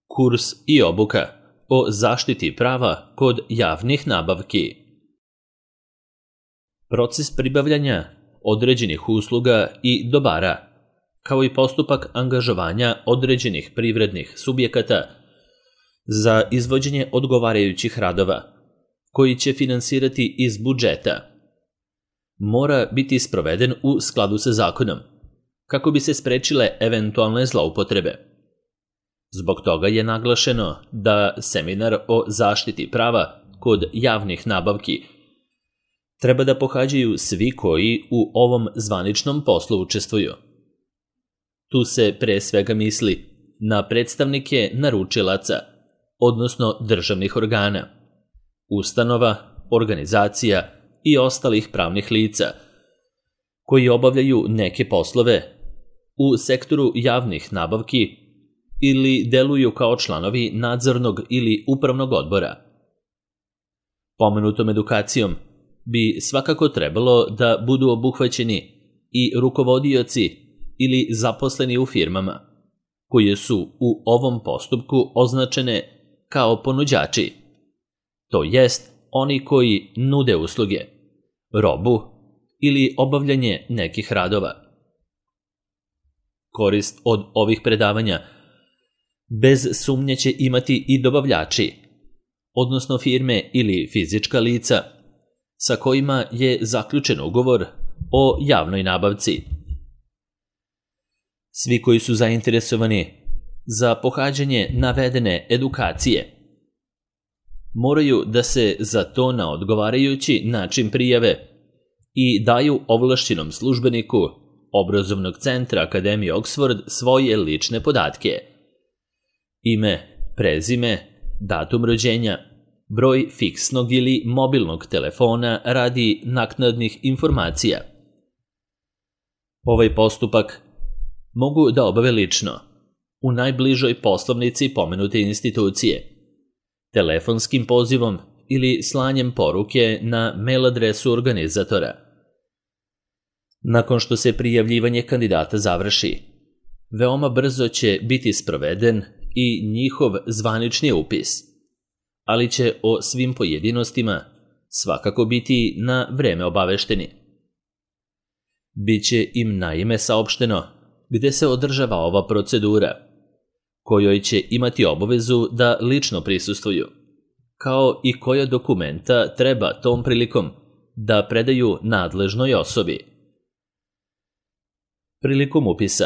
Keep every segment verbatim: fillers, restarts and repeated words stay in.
kurs i obuka o zaštiti prava kod javnih nabavki. Proces pribavljanja određenih usluga i dobara, kao i postupak angažovanja određenih privrednih subjekata za izvođenje odgovarajućih radova, koji će finansirati iz budžeta, mora biti sproveden u skladu sa zakonom, kako bi se sprečile eventualne zloupotrebe. Zbog toga je naglašeno da seminar o zaštiti prava kod javnih nabavki treba da pohađaju svi koji u ovom zvaničnom poslu učestvuju. Tu se pre svega misli na predstavnike naručilaca, odnosno državnih organa, ustanova, organizacija i ostalih pravnih lica koji obavljaju neke poslove u sektoru javnih nabavki ili deluju kao članovi nadzornog ili upravnog odbora. Pomenutom edukacijom bi svakako trebalo da budu obuhvaćeni i rukovodioci ili zaposleni u firmama, koje su u ovom postupku označene kao ponuđači, to jest oni koji nude usluge, robu ili obavljanje nekih radova. Korist od ovih predavanja bez sumnje će imati i dobavljači, odnosno firme ili fizička lica sa kojima je zaključen ugovor o javnoj nabavci. Svi koji su zainteresovani za pohađanje navedene edukacije moraju da se za to na odgovarajući način prijave i daju ovlašćenom službeniku Obrazovnog centra Akademije Oxford svoje lične podatke: ime, prezime, datum rođenja, broj fiksnog ili mobilnog telefona radi naknadnih informacija. Ovaj postupak mogu da obave lično, u najbližoj poslovnici pomenute institucije, telefonskim pozivom ili slanjem poruke na mail adresu organizatora. Nakon što se prijavljivanje kandidata završi, veoma brzo će biti sproveden i njihov zvanični upis, ali će o svim pojedinostima svakako biti na vreme obavešteni. Biće im naime saopšteno gde se održava ova procedura, kojoj će imati obavezu da lično prisustvuju, kao i koja dokumenta treba tom prilikom da predaju nadležnoj osobi. Prilikom upisa,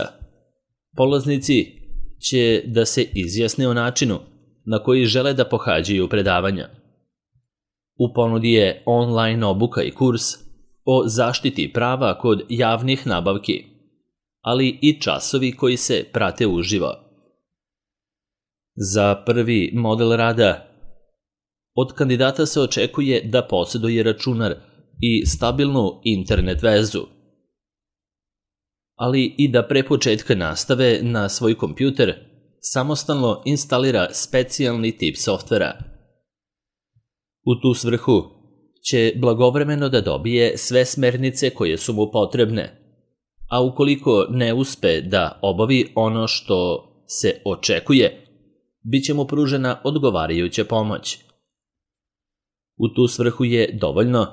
polaznici će da se izjasne o načinu na koji žele da pohađaju predavanja. U ponudi je online obuka i kurs o zaštiti prava kod javnih nabavki, ali i časovi koji se prate uživo. Za prvi model rada od kandidata se očekuje da posjeduje računar i stabilnu internet vezu, ali i da pre početka nastave na svoj kompjuter samostalno instalira specijalni tip softvera. U tu svrhu će blagovremeno da dobije sve smernice koje su mu potrebne, a ukoliko ne uspe da obavi ono što se očekuje, bit će mu pružena odgovarajuća pomoć. U tu svrhu je dovoljno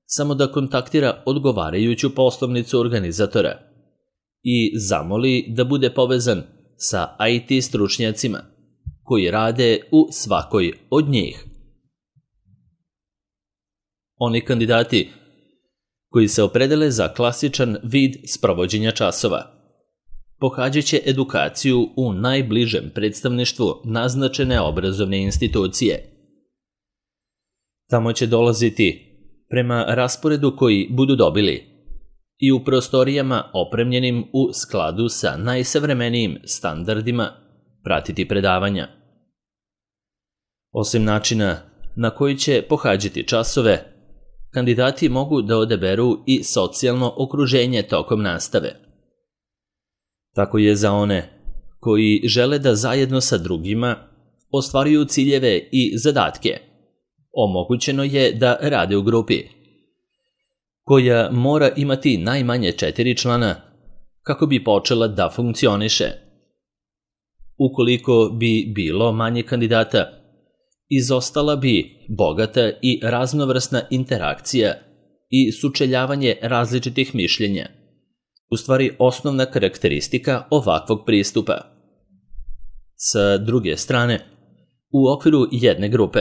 samo da kontaktira odgovarajuću poslovnicu organizatora i zamoli da bude povezan sa I T stručnjacima koji rade u svakoj od njih. Oni kandidati koji se opredele za klasičan vid sprovođenja časova pohađat će edukaciju u najbližem predstavništvu naznačene obrazovne institucije. Tamo će dolaziti prema rasporedu koji budu dobili i u prostorijama opremljenim u skladu sa najsavremenijim standardima pratiti predavanja. Osim načina na koji će pohađati časove, kandidati mogu da odaberu i socijalno okruženje tokom nastave. Tako je za one koji žele da zajedno sa drugima ostvaruju ciljeve i zadatke, omogućeno je da rade u grupi, koja mora imati najmanje četiri člana kako bi počela da funkcioniše. Ukoliko bi bilo manje kandidata, izostala bi bogata i raznovrsna interakcija i sučeljavanje različitih mišljenja, u stvari osnovna karakteristika ovakvog pristupa. Sa druge strane, u okviru jedne grupe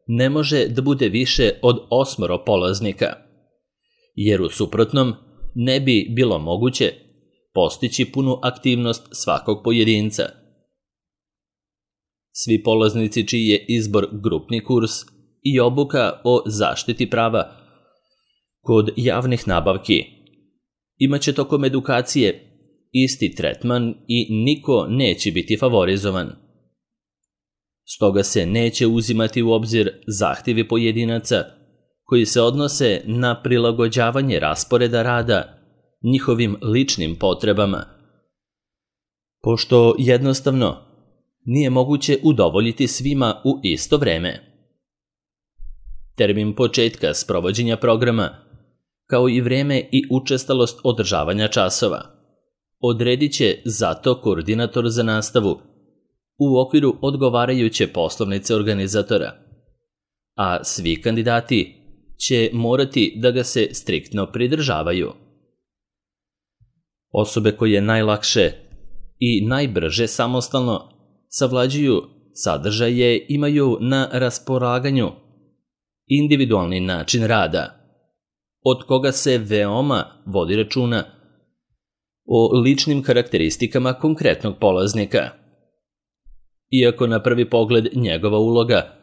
ne može da bude više od osmoro polaznika, jer u suprotnom ne bi bilo moguće postići punu aktivnost svakog pojedinca. Svi polaznici čiji je izbor grupni kurs i obuka o zaštiti prava kod javnih nabavki imaće tokom edukacije isti tretman i niko neće biti favorizovan. Stoga se neće uzimati u obzir zahtjevi pojedinaca koji se odnose na prilagođavanje rasporeda rada njihovim ličnim potrebama, pošto jednostavno nije moguće udovoljiti svima u isto vreme. Termin početka sprovođenja programa, kao i vreme i učestalost održavanja časova, odredit će zato koordinator za nastavu u okviru odgovarajuće poslovnice organizatora, a svi kandidati će morati da ga se striktno pridržavaju. Osobe koje najlakše i najbrže samostalno savlađuju sadržaje imaju na raspolaganju individualni način rada, od koga se veoma vodi računa o ličnim karakteristikama konkretnog polaznika. Iako na prvi pogled njegova uloga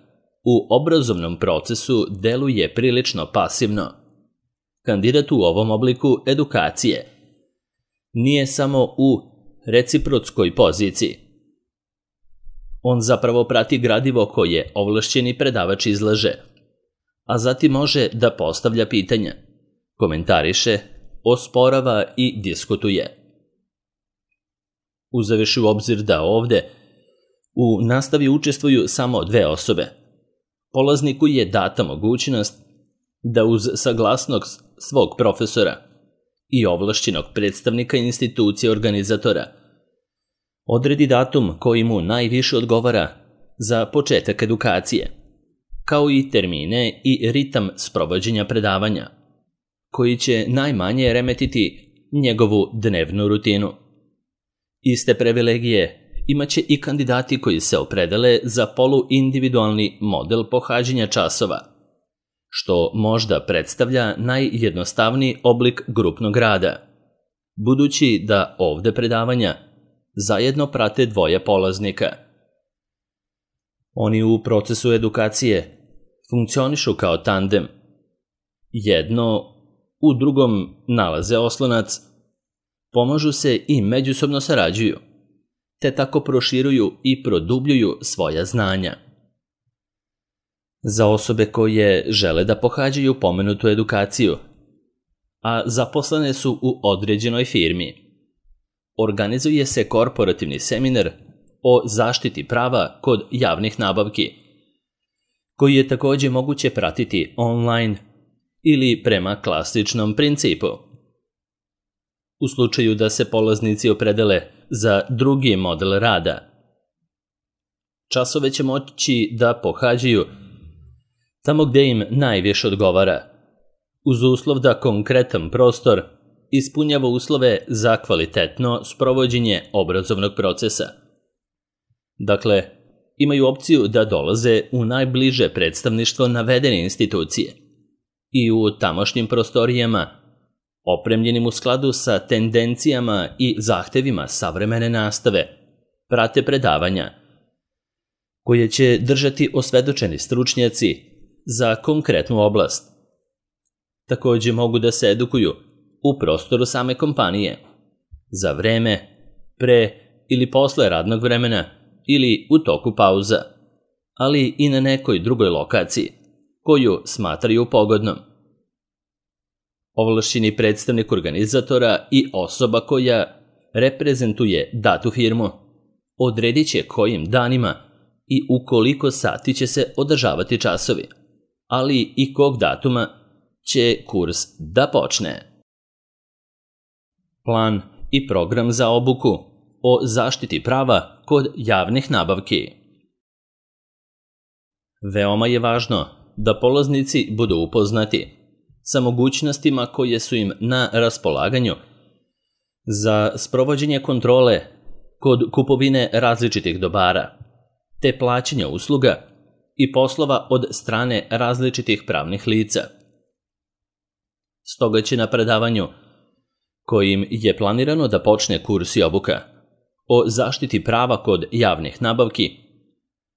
u obrazovnom procesu deluje prilično pasivno, kandidat u ovom obliku edukacije nije samo u reciprotskoj poziciji. On zapravo prati gradivo koje ovlašćeni predavač izlaže, a zatim može da postavlja pitanja, komentariše, osporava i diskutuje. Uzevši u obzir da ovde u nastavi učestvuju samo dve osobe, polazniku je data mogućnost da uz saglasnost svog profesora i ovlašćenog predstavnika institucije organizatora odredi datum koji mu najviše odgovara za početak edukacije, kao i termine i ritam sprovođenja predavanja, koji će najmanje remetiti njegovu dnevnu rutinu. Iste privilegije imaće i kandidati koji se opredele za poluindividualni model pohađanja časova, što možda predstavlja najjednostavniji oblik grupnog rada, budući da ovde predavanja zajedno prate dvoje polaznika. Oni u procesu edukacije funkcionišu kao tandem. Jedno u drugom nalaze oslonac, pomažu se i međusobno sarađuju, te tako proširuju i produbljuju svoja znanja. Za osobe koje žele da pohađaju pomenutu edukaciju, a zaposlene su u određenoj firmi, organizuje se korporativni seminar o zaštiti prava kod javnih nabavki, koji je takođe moguće pratiti online ili prema klasičnom principu. U slučaju da se polaznici opredele za drugi model rada, časove će moći da pohađaju tamo gde im najviše odgovara, uz uslov da konkretan prostor ispunjava uslove za kvalitetno sprovođenje obrazovnog procesa. Dakle, imaju opciju da dolaze u najbliže predstavništvo navedene institucije i u tamošnjim prostorijama, opremljenim u skladu sa tendencijama i zahtevima savremene nastave, prate predavanja, koje će držati osvedočeni stručnjaci za konkretnu oblast. Takođe mogu da se edukuju u prostoru same kompanije, za vreme, pre ili posle radnog vremena ili u toku pauza, ali i na nekoj drugoj lokaciji koju smatraju pogodnom. Ovlašćeni predstavnik organizatora i osoba koja reprezentuje datu firmu odredit će kojim danima i u koliko sati će se održavati časovi, ali i kog datuma će kurs da počne. Plan i program za obuku o zaštiti prava kod javnih nabavki. Veoma je važno da polaznici budu upoznati sa mogućnostima koje su im na raspolaganju za sprovođenje kontrole kod kupovine različitih dobara, te plaćanja usluga i poslova od strane različitih pravnih lica. Stoga će na predavanju, kojim je planirano da počne kurs i obuka o zaštiti prava kod javnih nabavki,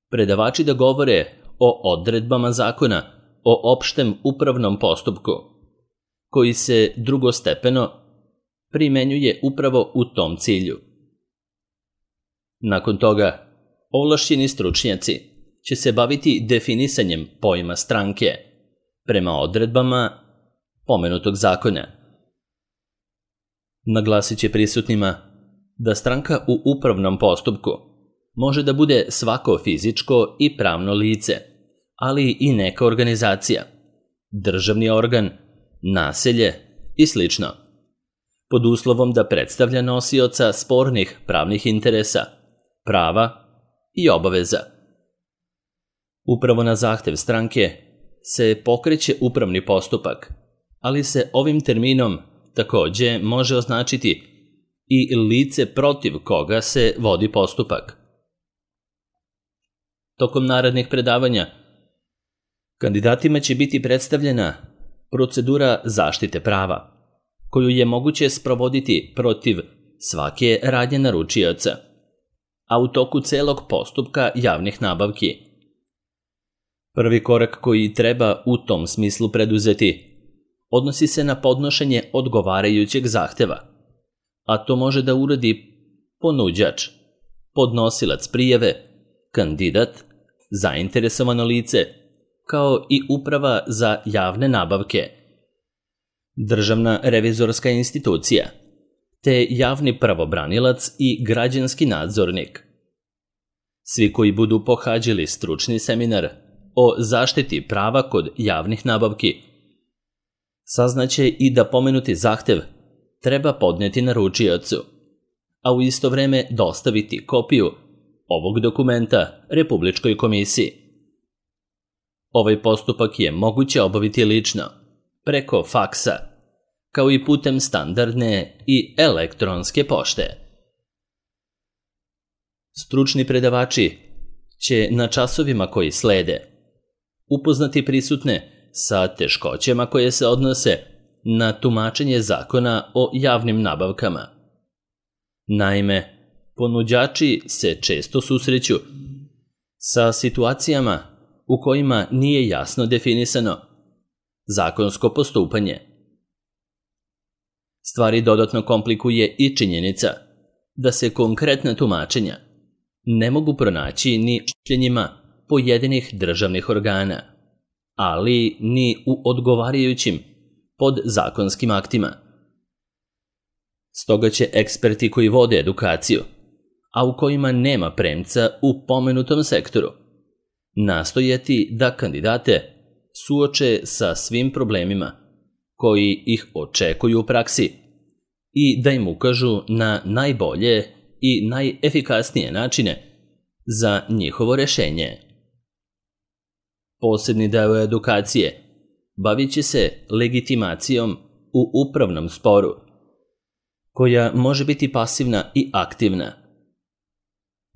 predavači da govore o odredbama zakona o opštem upravnom postupku, koji se drugostepeno primenjuje upravo u tom cilju. Nakon toga, ovlašćeni stručnjaci će se baviti definisanjem pojma stranke prema odredbama pomenutog zakona. Naglasit će prisutnima da stranka u upravnom postupku može da bude svako fizičko i pravno lice, ali i neka organizacija, državni organ, naselje i slično, pod uslovom da predstavlja nosioca spornih pravnih interesa, prava i obaveza. Upravo na zahtev stranke se pokreće upravni postupak, ali se ovim terminom takođe može označiti i lice protiv koga se vodi postupak. Tokom narednih predavanja kandidatima će biti predstavljena procedura zaštite prava, koju je moguće sprovoditi protiv svake radnje naručioca, a u toku celog postupka javnih nabavki. Prvi korak koji treba u tom smislu preduzeti odnosi se na podnošenje odgovarajućeg zahteva, a to može da uradi ponuđač, podnosilac prijave, kandidat, zainteresovano lice, kao i Uprava za javne nabavke, Državna revizorska institucija, te javni pravobranilac i građanski nadzornik. Svi koji budu pohađali stručni seminar o zaštiti prava kod javnih nabavki saznaće i da pomenuti zahtev treba podneti naručiocu, a u isto vreme dostaviti kopiju ovog dokumenta Republičkoj komisiji. Ovaj postupak je moguće obaviti lično, preko faksa, kao i putem standardne i elektronske pošte. Stručni predavači će na časovima koji slede upoznati prisutne sa teškoćama koje se odnose na tumačenje zakona o javnim nabavkama. Naime, ponuđači se često susreću sa situacijama u kojima nije jasno definisano zakonsko postupanje. Stvari dodatno komplikuje i činjenica da se konkretna tumačenja ne mogu pronaći ni u mišljenjima pojedinih državnih organa, ali ni u odgovarajućim podzakonskim aktima. Stoga će eksperti koji vode edukaciju, a u kojima nema premca u pomenutom sektoru, nastojati da kandidate suoče sa svim problemima koji ih očekuju u praksi i da im ukažu na najbolje i najefikasnije načine za njihovo rešenje. Posebni deo edukacije bavit će se legitimacijom u upravnom sporu, koja može biti pasivna i aktivna.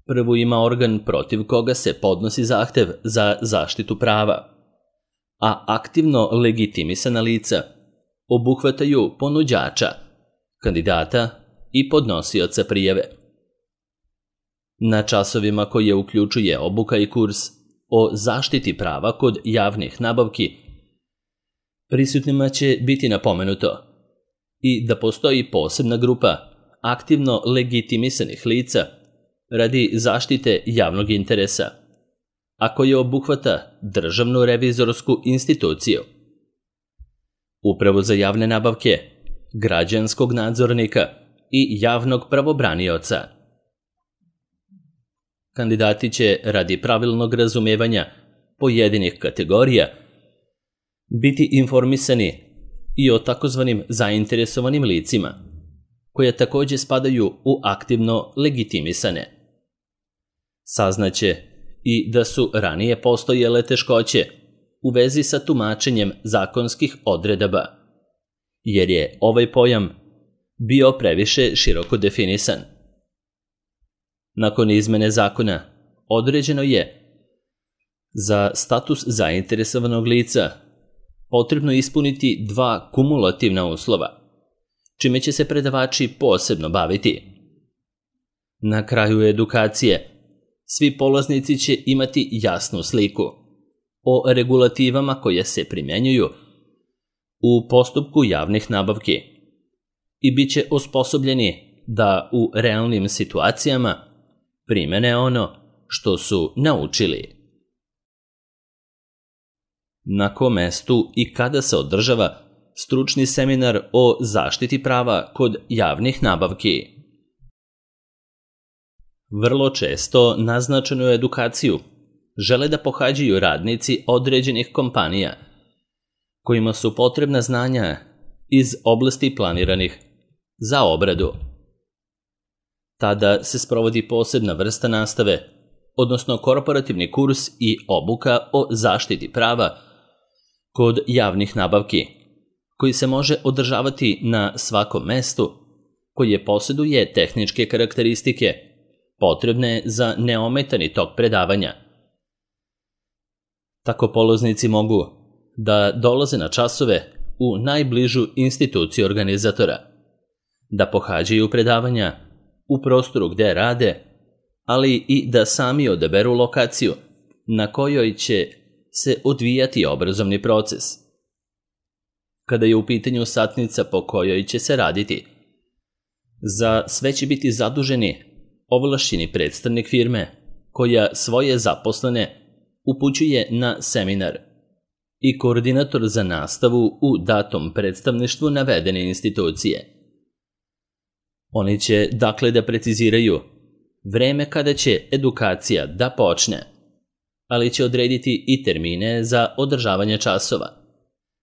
Prvo ima organ protiv koga se podnosi zahtev za zaštitu prava, a aktivno legitimisana lica obuhvataju ponuđača, kandidata i podnosioca prijave. Na časovima koje uključuje obuka i kurs o zaštiti prava kod javnih nabavki, prisutnima će biti napomenuto i da postoji posebna grupa aktivno legitimisanih lica radi zaštite javnog interesa, a koje obuhvata Državnu revizorsku instituciju, Upravu za javne nabavke, građanskog nadzornika i javnog pravobranioca. Kandidati će radi pravilnog razumevanja pojedinih kategorija biti informisani i o takozvanim zainteresovanim licima, koje takođe spadaju u aktivno legitimisane. Saznaće i da su ranije postojale teškoće u vezi sa tumačenjem zakonskih odredaba, jer je ovaj pojam bio previše široko definisan. Nakon izmene zakona određeno je za status zainteresovanog lica potrebno ispuniti dva kumulativna uslova, čime će se predavači posebno baviti. Na kraju edukacije svi polaznici će imati jasnu sliku o regulativama koje se primjenjuju u postupku javnih nabavki i bit će osposobljeni da u realnim situacijama primene ono što su naučili. Na kom mestu i kada se održava stručni seminar o zaštiti prava kod javnih nabavki? Vrlo često naznačenu edukaciju žele da pohađaju radnici određenih kompanija kojima su potrebna znanja iz oblasti planiranih za obradu. Tada se sprovodi posebna vrsta nastave, odnosno korporativni kurs i obuka o zaštiti prava kod javnih nabavki, koji se može održavati na svakom mestu koje posjeduje tehničke karakteristike potrebne za neometani tok predavanja. Tako polaznici mogu da dolaze na časove u najbližu instituciju organizatora, da pohađaju predavanja u prostoru gde rade, ali i da sami odaberu lokaciju na kojoj će se odvijati obrazovni proces. Kada je u pitanju satnica po kojoj će se raditi, za sve će biti zaduženi ovlašćeni predstavnik firme koja svoje zaposlene upućuje na seminar i koordinator za nastavu u datom predstavništvu navedene institucije. Oni će dakle da preciziraju vreme kada će edukacija da počne, ali će odrediti i termine za održavanje časova,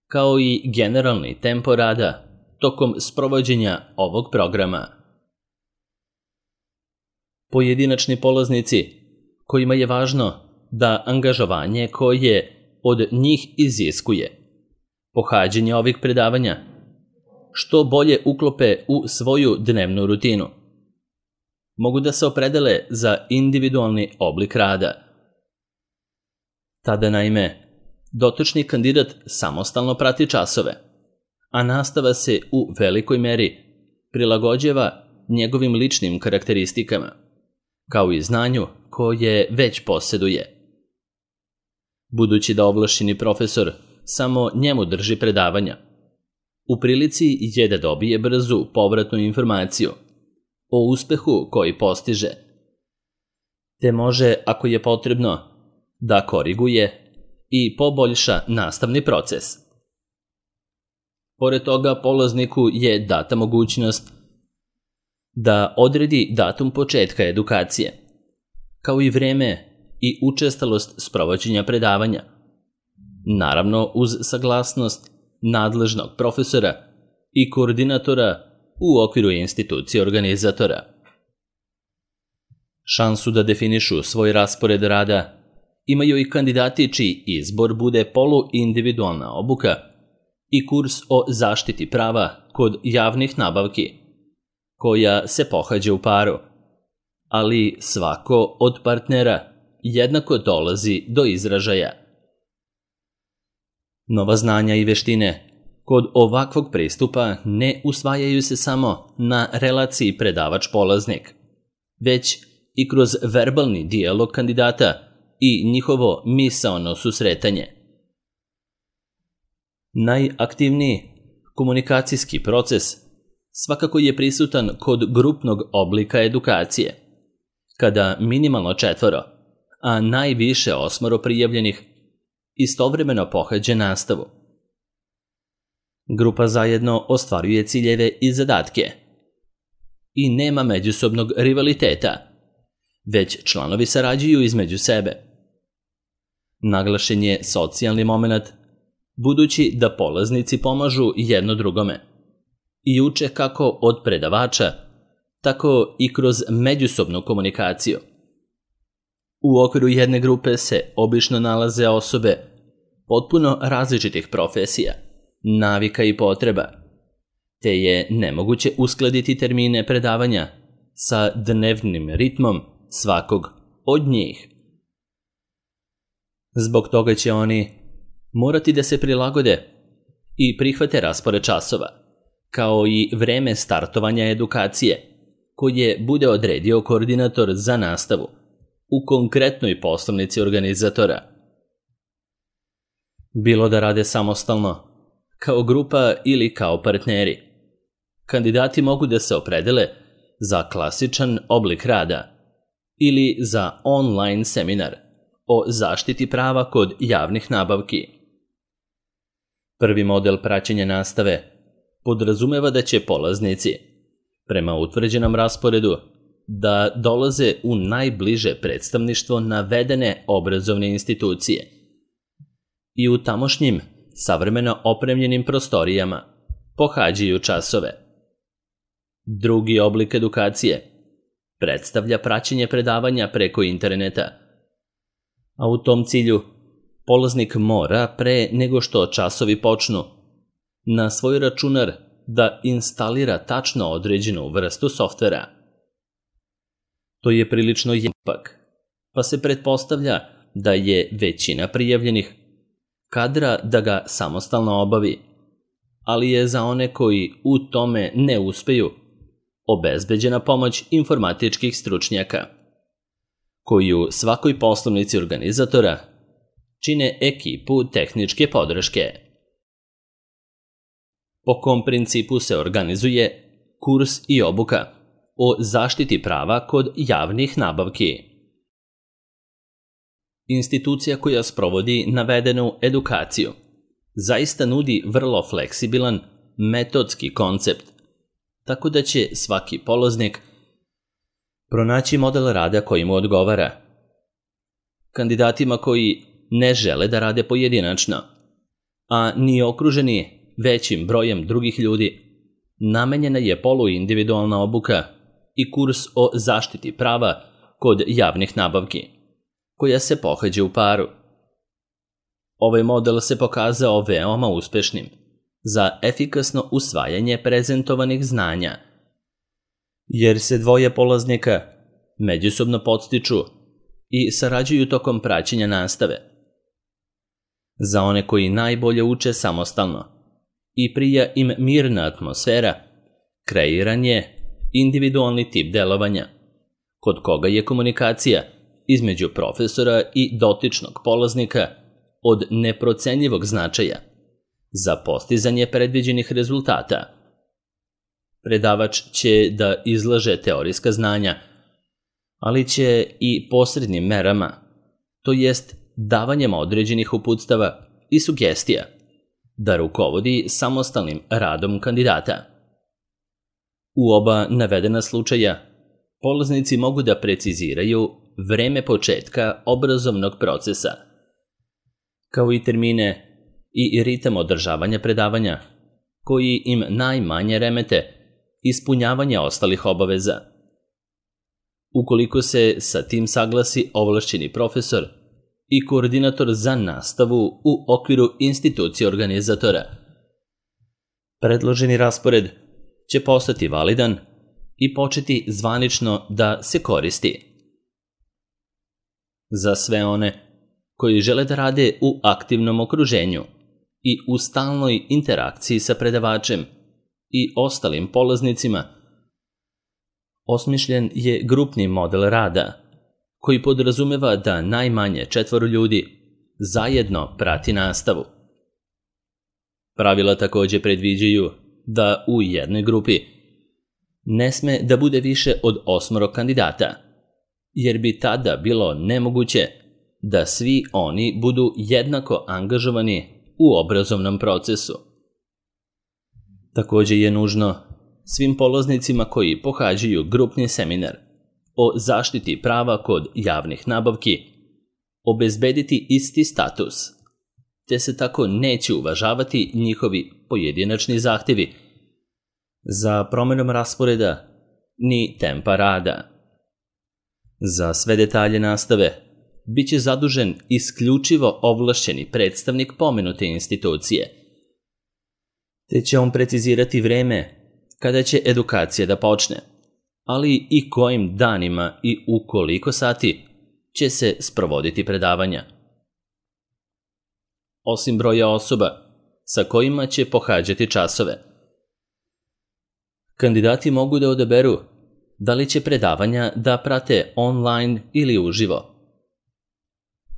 kao i generalni tempo rada tokom sprovođenja ovog programa. Pojedinačni polaznici kojima je važno da angažovanje koje od njih iziskuje pohađanje ovih predavanja što bolje uklope u svoju dnevnu rutinu, mogu da se opredele za individualni oblik rada. Tada naime dotični kandidat samostalno prati časove, a nastava se u velikoj meri prilagođava njegovim ličnim karakteristikama, kao i znanju koje već posjeduje. Budući da ovlašćeni profesor samo njemu drži predavanja, u prilici je da dobije brzu povratnu informaciju o uspehu koji postiže, te može, ako je potrebno, da koriguje i poboljša nastavni proces. Pored toga, polazniku je data mogućnost da odredi datum početka edukacije, kao i vreme i učestalost sprovođenja predavanja, naravno uz saglasnost nadležnog profesora i koordinatora u okviru institucije organizatora. Šansu da definišu svoj raspored rada imaju i kandidati čiji izbor bude poluindividualna obuka i kurs o zaštiti prava kod javnih nabavki, koja se pohađa u paru, ali svako od partnera jednako dolazi do izražaja. Nova znanja i veštine kod ovakvog pristupa ne usvajaju se samo na relaciji predavač-polaznik, već i kroz verbalni dijalog kandidata i njihovo misaono susretanje. Najaktivniji komunikacijski proces svakako je prisutan kod grupnog oblika edukacije, kada minimalno četvoro, a najviše osmoro prijavljenih istovremeno pohađa nastavu. Grupa zajedno ostvaruje ciljeve i zadatke i nema međusobnog rivaliteta, već članovi sarađuju između sebe. Naglašen je socijalni moment, budući da polaznici pomažu jedno drugome i uče kako od predavača, tako i kroz međusobnu komunikaciju. U okviru jedne grupe se obično nalaze osobe potpuno različitih profesija, navika i potreba, te je nemoguće uskladiti termine predavanja sa dnevnim ritmom svakog od njih. Zbog toga će oni morati da se prilagode i prihvate raspored časova, kao i vreme startovanja edukacije, koje bude odredio koordinator za nastavu u konkretnoj poslovnici organizatora. Bilo da rade samostalno, kao grupa ili kao partneri, kandidati mogu da se opredele za klasičan oblik rada ili za online seminar o zaštiti prava kod javnih nabavki. Prvi model praćenja nastave podrazumeva da će polaznici, prema utvrđenom rasporedu, da dolaze u najbliže predstavništvo navedene obrazovne institucije i u tamošnjim, savremeno opremljenim prostorijama pohađaju časove. Drugi oblik edukacije predstavlja praćenje predavanja preko interneta, a u tom cilju polaznik mora, pre nego što časovi počnu, na svoj računar da instalira tačno određenu vrstu softvera. To je prilično jepak, pa se pretpostavlja da je većina prijavljenih kadra da ga samostalno obavi, ali je za one koji u tome ne uspeju obezbeđena pomoć informatičkih stručnjaka, koji u svakoj poslovnici organizatora čine ekipu tehničke podrške. Po kom principu se organizuje kurs i obuka o zaštiti prava kod javnih nabavki? Institucija koja sprovodi navedenu edukaciju zaista nudi vrlo fleksibilan metodski koncept, tako da će svaki polaznik pronaći model rada koji mu odgovara. Kandidatima koji ne žele da rade pojedinačno, a ni okruženi većim brojem drugih ljudi, namenjena je poluindividualna obuka i kurs o zaštiti prava kod javnih nabavki, koja se pohađa u paru. Ovaj model se pokazao veoma uspešnim za efikasno usvajanje prezentovanih znanja, jer se dvoje polaznika međusobno podstiču i sarađuju tokom praćenja nastave. Za one koji najbolje uče samostalno i prija im mirna atmosfera, kreiran je individualni tip delovanja, kod koga je komunikacija između profesora i dotičnog polaznika od neprocenjivog značaja za postizanje predviđenih rezultata. Predavač će da izlaže teorijska znanja, ali će i posrednim merama, to jest davanjem određenih uputstava i sugestija, da rukovodi samostalnim radom kandidata. U oba navedena slučaja, polaznici mogu da preciziraju vreme početka obrazovnog procesa, kao i termine i ritam održavanja predavanja, koji im najmanje remete ispunjavanje ostalih obaveza. Ukoliko se sa tim saglasi ovlašćeni profesor i koordinator za nastavu u okviru institucije organizatora, predloženi raspored će postati validan i početi zvanično da se koristi. Za sve one koji žele da rade u aktivnom okruženju i u stalnoj interakciji sa predavačem i ostalim polaznicima, osmišljen je grupni model rada, koji podrazumeva da najmanje četvoro ljudi zajedno prati nastavu. Pravila takođe predviđaju da u jednoj grupi ne sme da bude više od osmoro kandidata, jer bi tada bilo nemoguće da svi oni budu jednako angažovani u obrazovnom procesu. Takođe je nužno svim polaznicima koji pohađaju grupni seminar o zaštiti prava kod javnih nabavki obezbediti isti status, te se tako neće uvažavati njihovi pojedinačni zahtevi za promenom rasporeda ni tempa rada. Za sve detalje nastave bit će zadužen isključivo ovlašćeni predstavnik pomenute institucije, te će on precizirati vreme kada će edukacija da počne, ali i kojim danima i u koliko sati će se sprovoditi predavanja. Osim broja osoba sa kojima će pohađati časove, kandidati mogu da odaberu da li će predavanja da prate online ili uživo.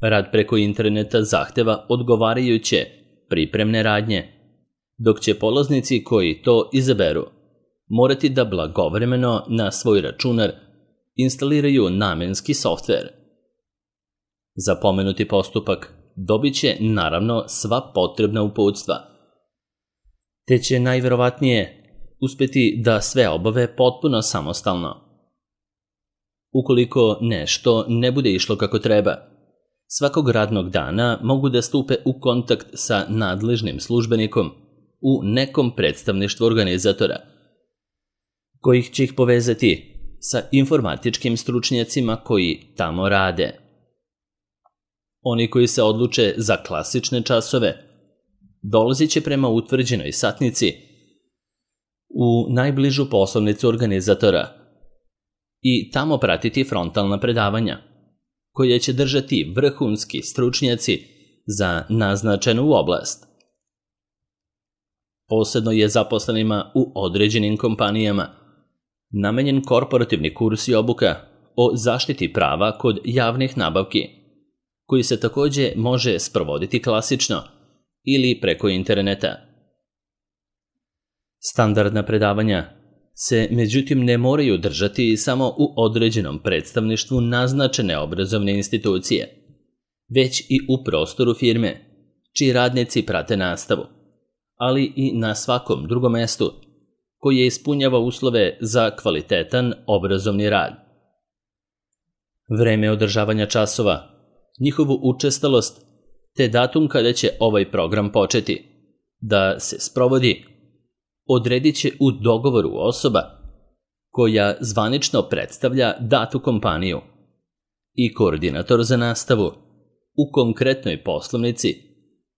Rad preko interneta zahteva odgovarajuće pripremne radnje, dok će polaznici koji to izaberu morati da blagovremeno na svoj računar instaliraju namenski softver. Za pomenuti postupak dobit će naravno sva potrebna uputstva, te će najverovatnije uspeti da sve obave potpuno samostalno. Ukoliko nešto ne bude išlo kako treba, svakog radnog dana mogu da stupe u kontakt sa nadležnim službenikom u nekom predstavništvu organizatora, kojih će ih povezati sa informatičkim stručnjacima koji tamo rade. Oni koji se odluče za klasične časove dolazit će prema utvrđenoj satnici u najbližu poslovnicu organizatora i tamo pratiti frontalna predavanja, koje će držati vrhunski stručnjaci za naznačenu oblast. Posebno je zaposlenima u određenim kompanijama namenjen korporativni kurs i obuka o zaštiti prava kod javnih nabavki, koji se takođe može sprovoditi klasično ili preko interneta. Standardna predavanja se međutim ne moraju držati samo u određenom predstavništvu naznačene obrazovne institucije, već i u prostoru firme, čiji radnici prate nastavu, ali i na svakom drugom mestu koje ispunjava uslove za kvalitetan obrazovni rad. Vreme održavanja časova, njihovu učestalost, te datum kada će ovaj program početi da se sprovodi, odredit će u dogovoru osoba koja zvanično predstavlja datu kompaniju i koordinator za nastavu u konkretnoj poslovnici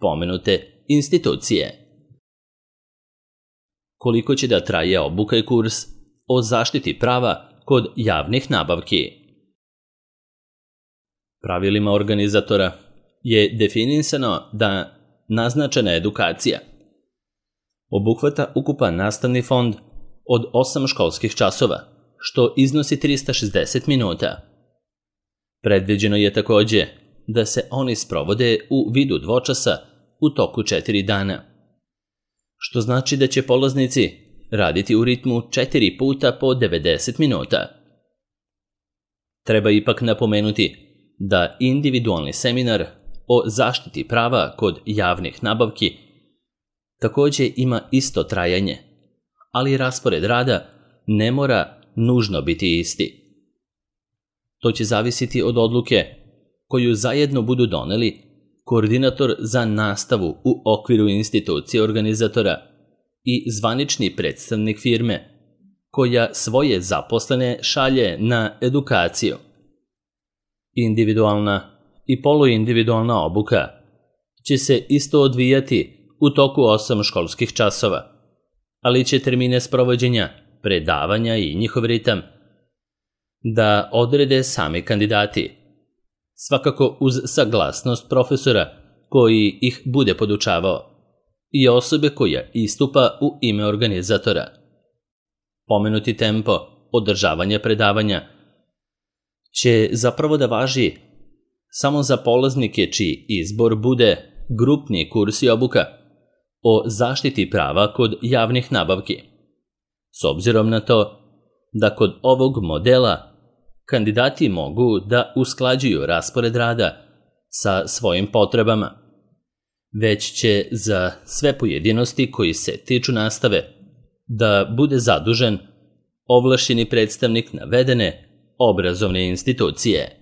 pomenute institucije. Koliko će da traje obuka i kurs o zaštiti prava kod javnih nabavki? Pravilima organizatora je definisano da naznačena edukacija obuhvata ukupan nastavni fond od osam školskih časova, što iznosi trista šezdeset minuta. Predviđeno je takođe da se oni sprovode u vidu dvočasa u toku četiri dana, što znači da će polaznici raditi u ritmu četiri puta po devedeset minuta. Treba ipak napomenuti da individualni seminar o zaštiti prava kod javnih nabavki takođe ima isto trajanje, ali raspored rada ne mora nužno biti isti. To će zavisiti od odluke koju zajedno budu doneli koordinator za nastavu u okviru institucije organizatora i zvanični predstavnik firme, koja svoje zaposlene šalje na edukaciju. Individualna i poluindividualna obuka će se isto odvijati u toku osam školskih časova, ali će termine sprovođenja, predavanja i njihov ritam da odrede sami kandidati, svakako uz saglasnost profesora koji ih bude podučavao i osobe koja istupa u ime organizatora. Pomenuti tempo održavanja predavanja će zapravo da važi samo za polaznike čiji izbor bude grupni kurs i obuka o zaštiti prava kod javnih nabavki, s obzirom na to da kod ovog modela kandidati mogu da usklađuju raspored rada sa svojim potrebama, već će za sve pojedinosti koji se tiču nastave da bude zadužen ovlašćeni predstavnik navedene obrazovne institucije.